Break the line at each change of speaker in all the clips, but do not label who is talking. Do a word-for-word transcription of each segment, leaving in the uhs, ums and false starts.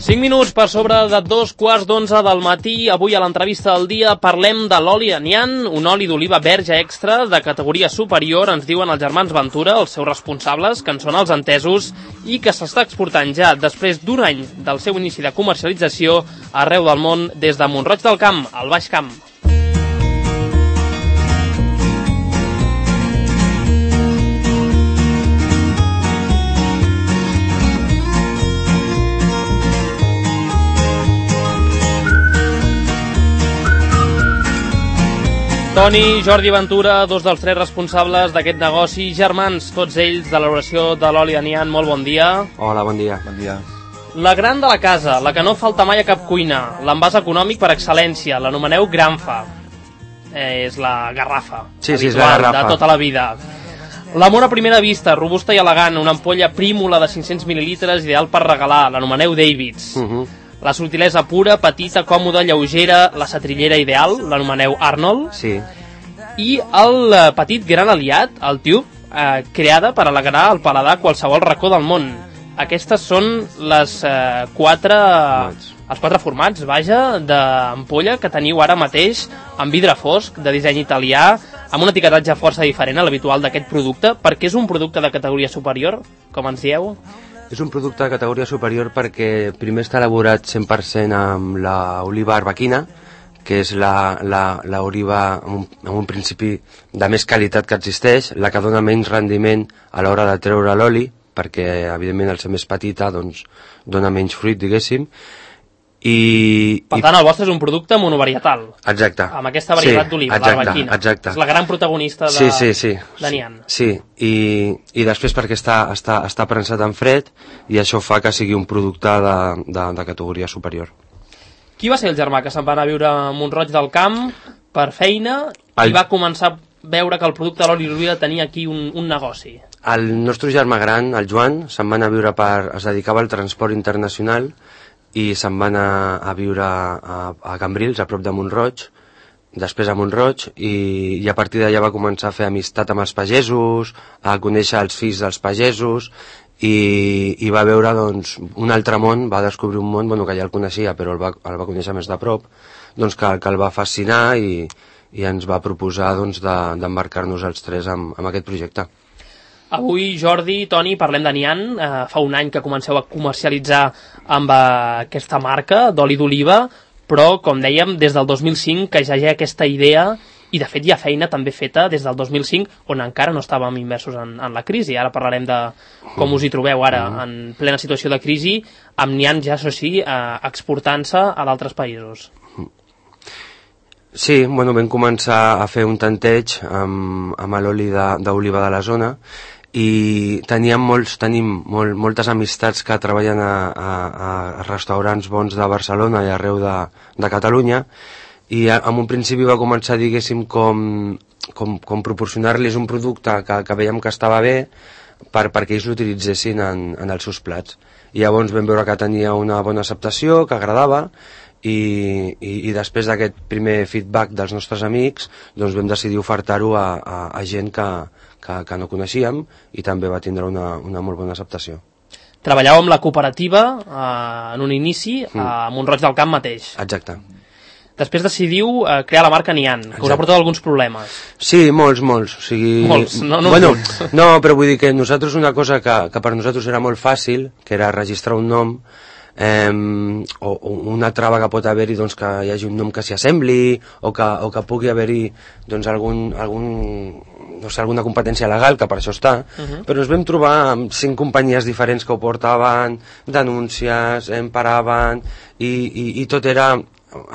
cinc minuts per sobre de dos quarts d'onze del matí. Avui a l'entrevista del dia parlem de l'oli Anian, un oli d'oliva verge extra de categoria superior, ens diuen els germans Ventura, els seus responsables, que en són els entesos, i que s'està exportant ja després d'un any del seu inici de comercialització arreu del món, des de Mont-roig del Camp, al Baix Camp. Toni, Jordi Ventura, dos dels tres responsables d'aquest negoci, germans, tots ells de l'elaboració de l'oli Anian. Molt bon dia.
Hola, bon dia.
Bon dia.
La gran de la casa, la que no falta mai a cap cuina, l'envàs econòmic per excel·lència, l'anomeneu Granfa. Eh, és la garrafa
sí, sí,
habitual
és la garrafa
de tota la vida. L'amor a primera vista, robusta i elegant, una ampolla prímula de cinc-cents mil·lilitres, ideal per regalar, l'anomeneu Davids. Uh -huh. La subtilesa pura, petita, còmoda, lleugera, la setrillera ideal, l'anomeneu Arnold.
Sí.
I el petit gran aliat, el Tube, eh, creada per alegrar el paladar qualsevol racó del món. Aquestes són les eh, quatre... Formats. Els quatre formats, vaja, d'ampolla que teniu ara mateix en vidre fosc, de disseny italià, amb un etiquetatge força diferent a l'habitual d'aquest producte, perquè és un producte de categoria superior, com ens dieu?
És un producte de categoria superior perquè primer està elaborat cent per cent amb l'oliva arbequina, que és l'oliva amb, amb un principi de més qualitat que existeix, la que dona menys rendiment a l'hora de treure l'oli, perquè evidentment al ser més petita doncs, dona menys fruit, diguéssim. I,
per tant, el vostre és un producte monovarietal.
Exacte.
Amb aquesta varietat sí, d'oliva, l'arbequina.
Exacte.
És la gran protagonista de,
sí, sí, sí.
d'Anian.
Sí, I, i després perquè està, està, està prensat en fred i això fa que sigui un producte de, de, de categoria superior.
Qui va ser el germà que se'n va anar a viure a Mont-roig del Camp per feina el... i va començar a veure que el producte de l'oli d'oliva tenia aquí un, un negoci?
El nostre germà gran, el Joan, se'n va anar a viure per... es dedicava al transport internacional i se'n va anar a viure a, a Cambrils, a prop de Mont-roig, després a Mont-roig, i, i a partir d'allà va començar a fer amistat amb els pagesos, a conèixer els fills dels pagesos, i, i va veure doncs, un altre món, va descobrir un món bueno, que ja el coneixia, però el va, el va conèixer més de prop, doncs, que, que el va fascinar i, i ens va proposar doncs, d'embarcar-nos de, els tres amb, amb aquest projecte.
Avui, Jordi, Toni, parlem d'Anian. Eh, fa un any que comenceu a comercialitzar amb eh, aquesta marca d'oli d'oliva, però, com dèiem, des del dos mil cinc que ja hi ha aquesta idea, i de fet hi ha feina també feta des del dos mil cinc, on encara no estàvem immersos en, en la crisi. Ara parlarem de com us hi trobeu ara, en plena situació de crisi, amb Anian ja, això sí, eh, exportant-se a d'altres països.
Sí, bueno, vam començar a fer un tanteig amb, amb l'oli d'oliva de, de la zona, i teníem molts, tenim molt, moltes amistats que treballen a, a, a restaurants bons de Barcelona i arreu de, de Catalunya, i en un principi va començar, diguéssim, com, com, com proporcionar-los un producte que, que veiem que estava bé per, perquè ells l'utilitzessin en, en els seus plats. I llavors vam veure que tenia una bona acceptació, que agradava, i, i, i després d'aquest primer feedback dels nostres amics doncs vam decidir ofertar-ho a, a, a gent que, que, que no coneixíem, i també va tindre una, una molt bona acceptació.
Treballàveu amb la cooperativa eh, en un inici mm. a Mont-roig del Camp mateix.
Exacte.
Després decidiu eh, crear la marca Anian, que Exacte. Us ha portat alguns problemes.
Sí, molts, molts. O sigui...
Molts, no, no
bueno,
molts.
No, però vull dir que nosaltres una cosa que, que per nosaltres era molt fàcil, que era registrar un nom, eh, o, o una trava que pot haver-hi, doncs, que hi hagi un nom que s'hi assembli, o que, o que pugui haver-hi doncs, algun, algun, no sé, alguna competència legal, que per això està, uh -huh. però ens vam trobar amb cinc companyies diferents que ho portaven, denúncies, em paraven, i, i, i tot era...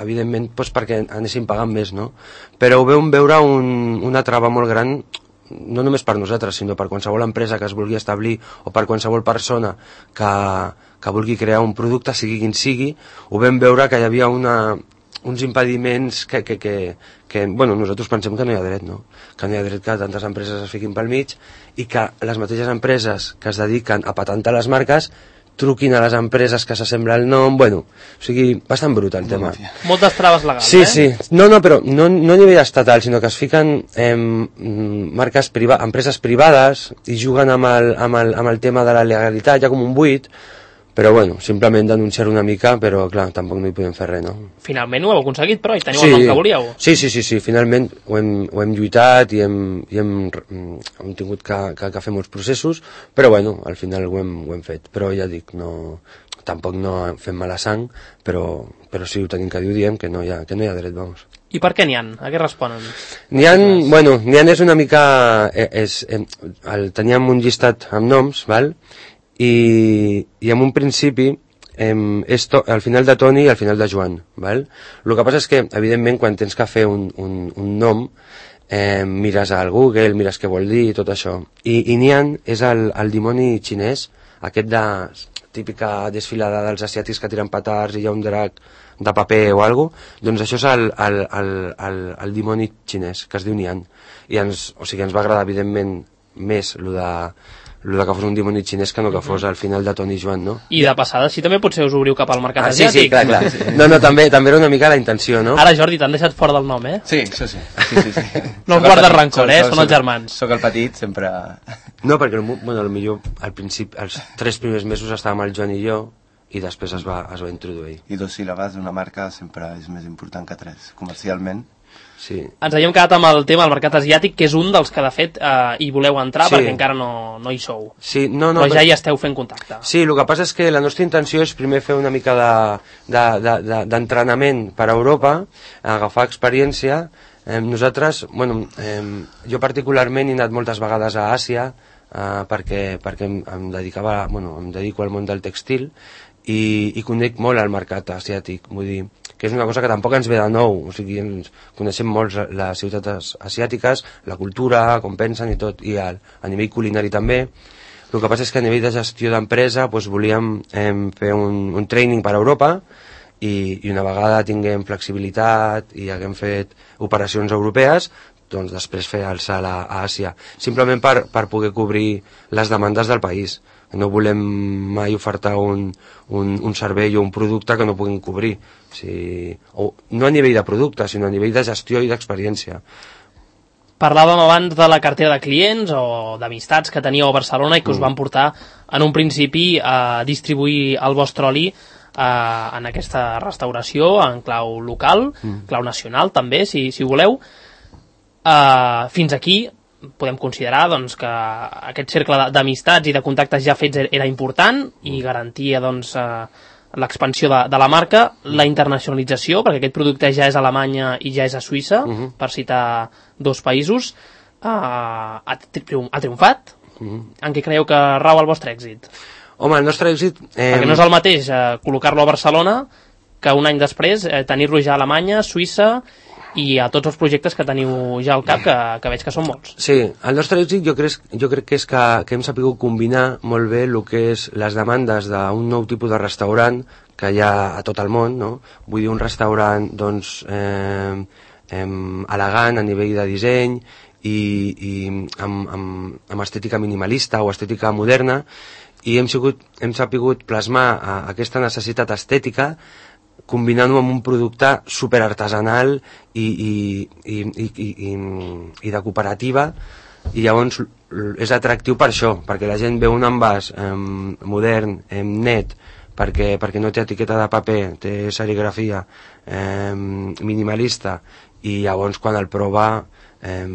evidentment doncs perquè anéssim pagant més, no? Però ho vam veure un, una trava molt gran, no només per nosaltres, sinó per qualsevol empresa que es vulgui establir, o per qualsevol persona que, que vulgui crear un producte, sigui quin sigui. Ho vam veure que hi havia una, uns impediments que, que, que, que bueno, nosaltres pensem que no hi ha dret, no? Que no hi ha dret que tantes empreses es fiquin pel mig, i que les mateixes empreses que es dediquen a patentar les marques truquin a les empreses que s'assembla el nom, bueno, o sigui, bastant brut el tema.
Moltes traves legals,
sí,
eh?
Sí, sí. No, no, però no, no a nivell estatal, sinó que es fiquen eh, marques priva empreses privades i juguen amb el, amb, el, amb el tema de la legalitat, ja com un buit, Però bueno, simplement denunciar una mica, però clar, tampoc no hi podem fer res, no?
Finalment ho heu aconseguit, però, i teniu
sí,
el nom que volíeu.
Sí, sí, sí, sí, finalment ho hem, ho hem lluitat i hem, i hem, hem tingut que, que, que fer molts processos, però bueno, al final ho hem, ho hem fet. Però ja dic, no, tampoc no fem mala sang, però, però sí ho tenim que dir, ho diem, que no hi ha, que no hi ha dret, vamos.
I per què n'hi ha? A què responen?
N'hi ha, bueno, n'hi ha és una mica... És, és, el, teníem un llistat amb noms, val? I, i en un principi eh, és to, al final de Toni i al final de Joan, val? El que passa és que, evidentment, quan tens que fer un, un, un nom, eh, mires al Google, mires què vol dir i tot això. I, i Nian és el, el dimoni xinès, aquest de típica desfilada dels asiàtics que tiren petards i hi ha un drac de paper o alguna cosa, doncs això és el, el, el, el, el dimoni xinès, que es diu Nian. I ens, o sigui, ens va agradar, evidentment, més el de... el que fos un dimoni xinès que no que fos al final de Toni i Joan, no?
I de passada, sí, també potser us obriu cap al mercat
ah,
asiàtic.
Sí, sí, clar, clar. No, no, també, també era una mica la intenció, no?
Ara, Jordi, t'han deixat fora del nom, eh?
Sí, això sí. sí, sí, sí.
No guardes rancor, eh? Són els germans.
Soc el petit, sempre...
No, perquè, bueno, millor al principi, els tres primers mesos estàvem el Joan i jo, i després es va, es va introduir.
I dos síl·labes d'una marca sempre és més important que tres, comercialment.
Sí.
Ens havíem quedat amb el tema del mercat asiàtic, que és un dels que, de fet, eh, hi voleu entrar, sí. perquè encara no, no hi sou.
Sí, no, no,
però ja hi esteu fent contacte.
Sí, el que passa és que la nostra intenció és primer fer una mica d'entrenament de, de, de, per a Europa, agafar experiència. Eh, nosaltres, bueno, eh, jo particularment he anat moltes vegades a Àsia, eh, perquè, perquè em, em, dedicava, bueno, em dedico al món del textil, i, i conec molt al mercat asiàtic, vull dir, que és una cosa que tampoc ens ve de nou, o sigui, ens coneixem molt les ciutats asiàtiques, la cultura, com pensen i tot, i a, a nivell culinari també. El que passa és que a nivell de gestió d'empresa doncs volíem eh, fer un, un training per a Europa i, i una vegada tinguem flexibilitat i haguem fet operacions europees, doncs després fer el salt a, a Àsia, simplement per, per poder cobrir les demandes del país. No volem mai ofertar un, un, un servei o un producte que no puguin cobrir. O sigui, o, no a nivell de producte, sinó a nivell de gestió i d'experiència.
Parlàvem abans de la cartera de clients o d'amistats que teníeu a Barcelona i que us van portar en un principi a distribuir el vostre oli eh, en aquesta restauració en clau local, mm. clau nacional també, si, si voleu. Eh, fins aquí podem considerar doncs, que aquest cercle d'amistats i de contactes ja fets era important i garantia doncs, eh, l'expansió de, de la marca, la internacionalització, perquè aquest producte ja és a Alemanya i ja és a Suïssa, uh -huh. per citar dos països, eh, ha, triom ha triomfat. Uh -huh. En què creieu que rau el vostre èxit?
Home, el nostre èxit... Eh...
Perquè no és el mateix eh, col·locar-lo a Barcelona que un any després eh, tenir-lo ja a Alemanya, Suïssa i a tots els projectes que teniu ja al cap, que, que veig que són molts.
Sí, el nostre èxit jo crec, jo crec que és que, que hem sabut combinar molt bé el que és les demandes d'un nou tipus de restaurant que hi ha a tot el món, no? Vull dir, un restaurant doncs, eh, eh, elegant a nivell de disseny i, i amb, amb, amb estètica minimalista o estètica moderna, i hem, sigut, hem sabut plasmar a, aquesta necessitat estètica combinant-ho amb un producte superartesanal i, i, i, i, i, i de cooperativa, i llavors és atractiu per això, perquè la gent veu un envàs eh, modern, eh, net, perquè, perquè no té etiqueta de paper, té serigrafia eh, minimalista, i llavors quan el prova eh,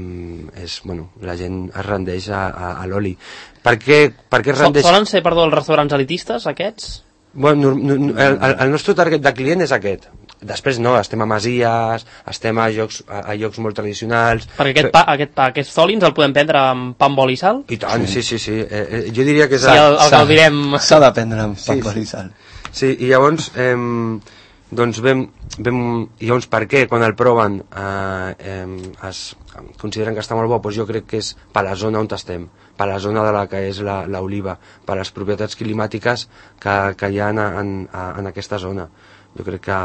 és, bueno, la gent es rendeix a, a, a l'oli. Per què, per què es rendeix?
Solen ser, perdó, els restaurants elitistes, aquests?
Bueno, no, no, el, el nostre target de client és aquest. Després no, estem a masies, estem a llocs, a, a llocs molt tradicionals.
Perquè aquest pa, aquest pa, aquest oli ens el podem prendre amb pa amb oli i sal?
I tant, sí, sí, sí. Eh, eh, jo diria que és...
Sí, el, el que el direm...
S'ha de prendre amb pa amb oli i sal.
Sí, i llavors, eh, doncs vam, vam... I llavors per què, quan el proven, eh, eh, es consideren que està molt bo? Doncs jo crec que és per la zona on estem, per la zona de la que és l'oliva, per les propietats climàtiques que, que hi ha en, en, en aquesta zona. Jo crec que,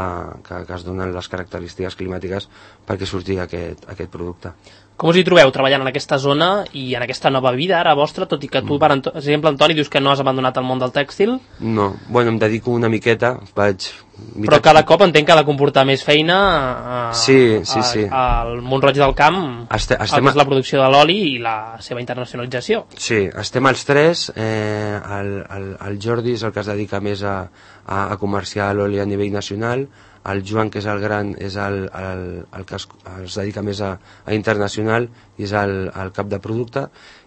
que, que es donen les característiques climàtiques perquè surti aquest, aquest producte.
Com us hi trobeu treballant en aquesta zona i en aquesta nova vida ara vostra, tot i que tu, per Anto- exemple, Antoni, dius que no has abandonat el món del tèxtil?
No, bueno, em dedico una miqueta, vaig...
Però cada cop entenc que ha de comportar més feina a,
sí, sí, sí.
a, al Mont-roig del Camp,
Este,
el
estem
que és la producció de l'oli i la seva internacionalització.
Sí, estem els tres, eh, el, el, el Jordi és el que es dedica més a, a, a comerciar l'oli a nivell nacional, el Joan, que és el gran, és el, el, el que es, es dedica més a, a internacional i és el, el cap de producte,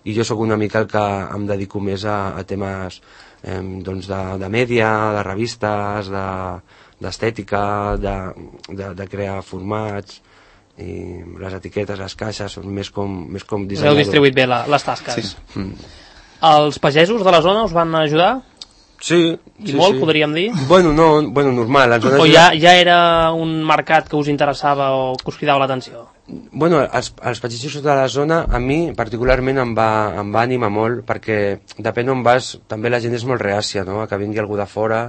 i jo sóc una mica el que em dedico més a, a temes eh, doncs de, de mèdia, de revistes, de, d'estètica, de, de, de crear formats, i les etiquetes, les caixes, són més com, més com dissenyador.
Heu distribuït bé la, les tasques.
Sí. Mm.
Els pagesos de la zona us van ajudar?
Sí,
I
sí,
molt,
sí.
podríem dir?
Bueno, no, bueno, normal. Les zones
o ja, ja era un mercat que us interessava o que us cridava l'atenció?
Bueno, els, els pagesos de la zona a mi particularment em va, em va animar molt, perquè depèn on vas, també la gent és molt reàcia, no?, a que vingui algú de fora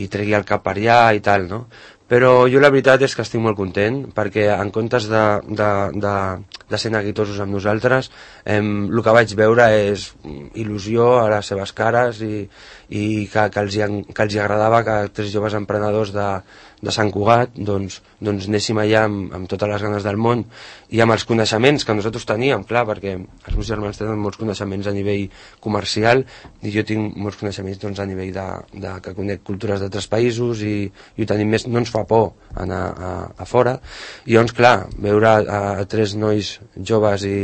i tregui el cap per allà i tal, no? Però jo la veritat és que estic molt content, perquè en comptes de, de, de, de ser neguitosos amb nosaltres, eh, el que vaig veure és il·lusió a les seves cares i, i que, que, els hi, que els hi agradava que tres joves emprenedors de, de Sant Cugat doncs, doncs anéssim allà amb, amb totes les ganes del món i amb els coneixements que nosaltres teníem, clar, perquè els meus germans tenen molts coneixements a nivell comercial i jo tinc molts coneixements doncs, a nivell de, de que conec cultures d'altres països i, i ho tenim més, no ens fa por anar a, a fora, i llavors clar, veure a, a tres nois joves i,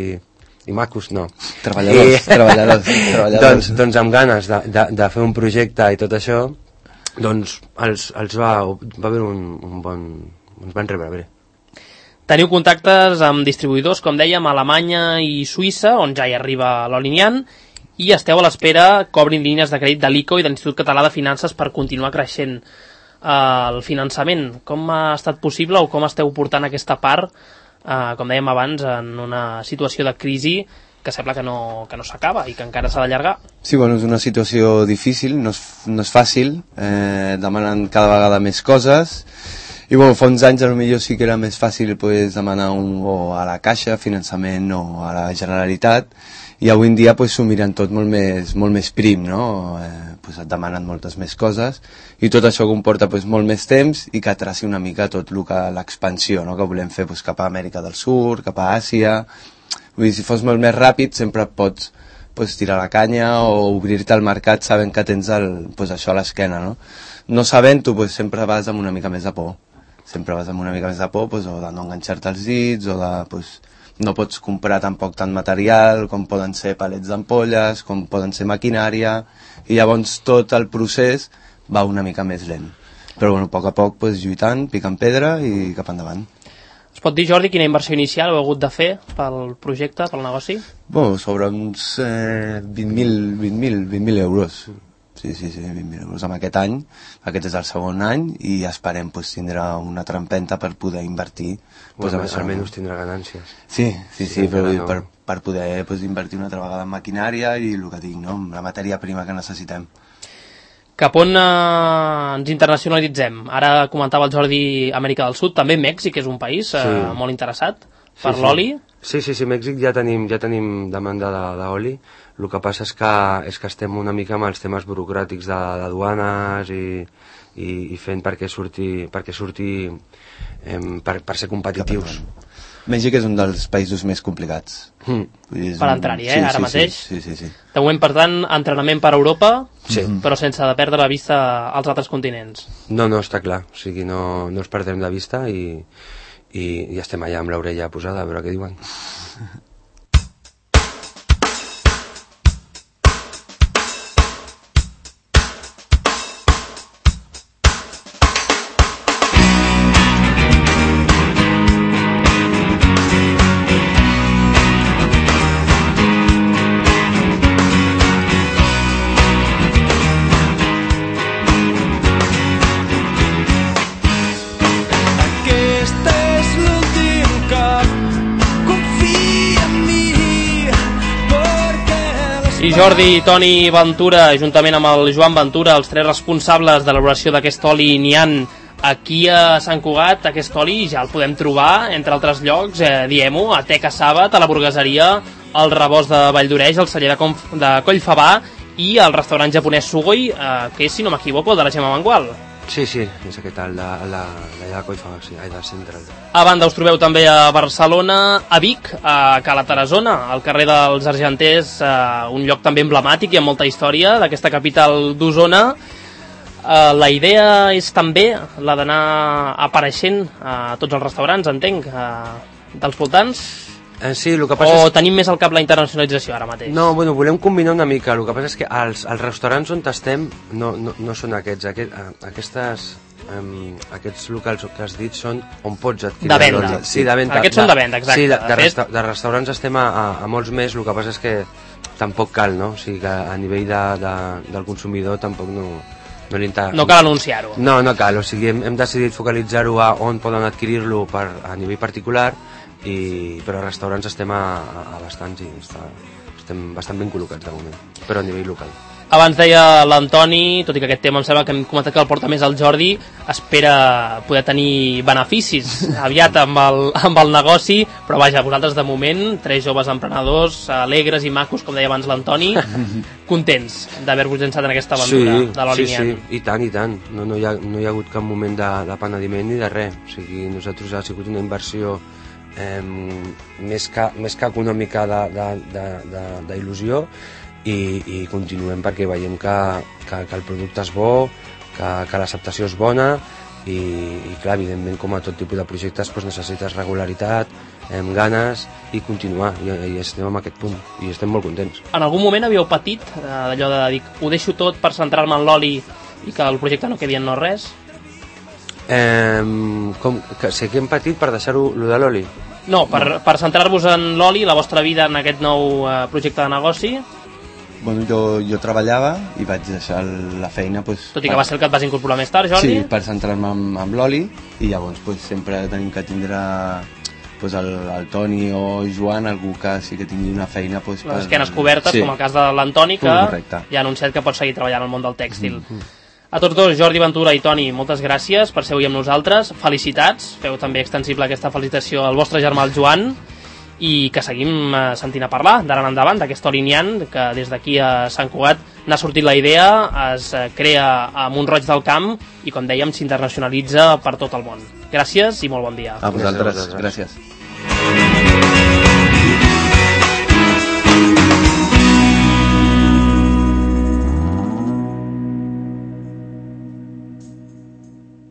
i macos, no.
Treballadors, I, treballadors, treballadors.
Doncs, doncs amb ganes de, de, de fer un projecte i tot això, doncs els, els va, va haver un, un bon... ens van rebre bé.
Teniu contactes amb distribuïdors, com dèiem, a Alemanya i Suïssa, on ja hi arriba l'oli Nian, i esteu a l'espera que obrin línies de crèdit de l'I C O i de l'Institut Català de Finances per continuar creixent eh, el finançament. Com ha estat possible o com esteu portant aquesta part, eh, com dèiem abans, en una situació de crisi que sembla que no, que no s'acaba i que encara s'ha d'allargar?
Sí, bueno, és una situació difícil, no és, no és fàcil, eh, demanen cada vegada més coses, i bueno, fa uns anys potser sí que era més fàcil pues, demanar un, o a la Caixa, finançament, o a la Generalitat, i avui en dia pues, s'ho miren tot molt més, molt més prim, no? Eh, pues, et demanen moltes més coses, i tot això comporta pues, molt més temps i que traci una mica tot el que l'expansió, no? Que volem fer pues, cap a Amèrica del Sud, cap a Àsia. Vull dir, si fos molt més ràpid sempre pots pues, tirar la canya o obrir-te al mercat sabent que tens el, pues, això a l'esquena, no? No sabent-ho, pues, sempre vas amb una mica més de por. Sempre vas amb una mica més de por, pues, o de no enganxar-te els dits, o de, pues, no pots comprar tampoc tant material, com poden ser palets d'ampolles, com poden ser maquinària, i llavors tot el procés va una mica més lent. Però bueno, a poc a poc, pues, lluitant, picant pedra i cap endavant.
Es pot dir, Jordi, quina inversió inicial heu hagut de fer pel projecte, pel negoci?
Bueno, sobre uns eh, vint mil euros. Sí, sí, sí, vint mil euros en aquest any. Aquest és el segon any i esperem pues, tindrà una altra empenta per poder invertir.
Pues, pues, almenys tindrà ganàncies.
Sí, sí, sí, sí però no. per, per poder pues, invertir una altra vegada en maquinària i el que dic, no? La matèria prima que necessitem.
Cap on eh, ens internacionalitzem? Ara comentava el Jordi Amèrica del Sud, també Mèxic és un país eh, sí. molt interessat per
sí,
l'oli.
Sí, sí, sí, Mèxic ja tenim, ja tenim demanda d'oli. El que passa és que, és que estem una mica amb els temes burocràtics de, de duanes i, i, i fent perquè surti, perquè surti eh, per, per ser competitius.
Mèxic és un dels països més complicats.
Mm. Per entrar-hi, eh,
sí,
ara
sí,
mateix.
Sí, sí, sí, sí.
De moment, per tant, entrenament per Europa,
sí.
però sense de perdre la vista als altres continents.
No, no, està clar. O sigui, no, no els perdrem de vista i, i, i estem allà amb l'orella posada a veure què diuen.
I Jordi, Toni Ventura, juntament amb el Joan Ventura, els tres responsables de l'elaboració d'aquest oli Nian aquí a Sant Cugat aquest oli ja el podem trobar, entre altres llocs, eh, diem-ho, a Teca Sàbat, a la Burgueseria, al Rebost de Valldoreix, al celler de, Conf de Collfabà i al restaurant japonès Sugoi, eh, que és, si no m'equivoco, de la Gemma Mangual.
Sí, sí, és aquest, el de la, la de Collfabà, sí, el de Central.
A banda us trobeu també a Barcelona, a Vic, a Cala Tarazona, al carrer dels Argenters, eh, un lloc també emblemàtic i amb molta història d'aquesta capital d'Osona. Uh, la idea és també la d'anar apareixent a tots els restaurants, entenc, uh, dels voltants,
eh, sí, el que passa
o
és...
tenim més al cap la internacionalització ara mateix?
No, bueno, volem combinar una mica, el que passa és que els, els restaurants on estem no, no, no són aquests, Aquest, aquestes, um, aquests locals que has dit són on pots adquirir
de venda.
Sí, de venda.
Aquests de, són de venda, exacte.
Sí, de, de,
de,
resta, de restaurants estem a, a, a molts més, el que passa és que tampoc cal, no? O sigui que a nivell de, de, del consumidor tampoc no... No,
no cal anunciar-ho.
No, no cal, o sigui, hem, hem decidit focalitzar-ho a on poden adquirir-lo per, a nivell particular, i, però a restaurants estem a, a, a bastants i està, estem bastant ben col·locats de moment, però a nivell local.
Abans deia l'Antoni, tot i que aquest tema em sembla que hem comentat que el porta més el Jordi, espera poder tenir beneficis aviat amb el, amb el negoci, però vaja, vosaltres de moment, tres joves emprenedors, alegres i macos, com deia abans l'Antoni, contents d'haver-vos llançat en aquesta aventura
sí,
de l'oli Nian.
Sí, sí, i tant, i tant. No, no, hi ha, no hi ha hagut cap moment de, de penediment ni de res. O sigui, nosaltres ha sigut una inversió eh, més, que, més que econòmica d'il·lusió, i, i continuem perquè veiem que, que, que el producte és bo, que, que l'acceptació és bona, i, i clar, evidentment, com a tot tipus de projectes, doncs necessites regularitat, amb ganes, i continuar, i, i estem en aquest punt, i estem molt contents.
En algun moment havíeu patit eh, d'allò de dir, ho deixo tot per centrar-me en l'oli i que el projecte no quedi en no res?
Eh, com, que, sé que hem patit per deixar-ho de l'oli?
No, per, no. per centrar-vos en l'oli, la vostra vida en aquest nou eh, projecte de negoci.
Bueno, jo, jo treballava i vaig deixar la feina... Pues,
Tot i que per... va ser el que et vas incorporar més tard, Jordi?
Sí, per centrar-me amb, amb l'oli, i llavors pues, sempre tenim que tindre pues, el, el Toni o Joan, algú que sí que tingui una feina... Pues,
Les
per...
esquenes cobertes, sí. Com el cas de l'Antoni, que Correcte. Ja ha anunciat que pot seguir treballant al món del tèxtil. Mm-hmm. A tots dos, Jordi Ventura i Toni, moltes gràcies per ser avui amb nosaltres. Felicitats, feu també extensible aquesta felicitació al vostre germà, el Joan, i que seguim eh, sentint a parlar d'ara en endavant d'aquest oli Nian, que des d'aquí a Sant Cugat n'ha sortit la idea, es eh, crea a Mont-roig del Camp i, com dèiem, s'internacionalitza per tot el món. Gràcies i molt bon dia.
A vosaltres, gràcies.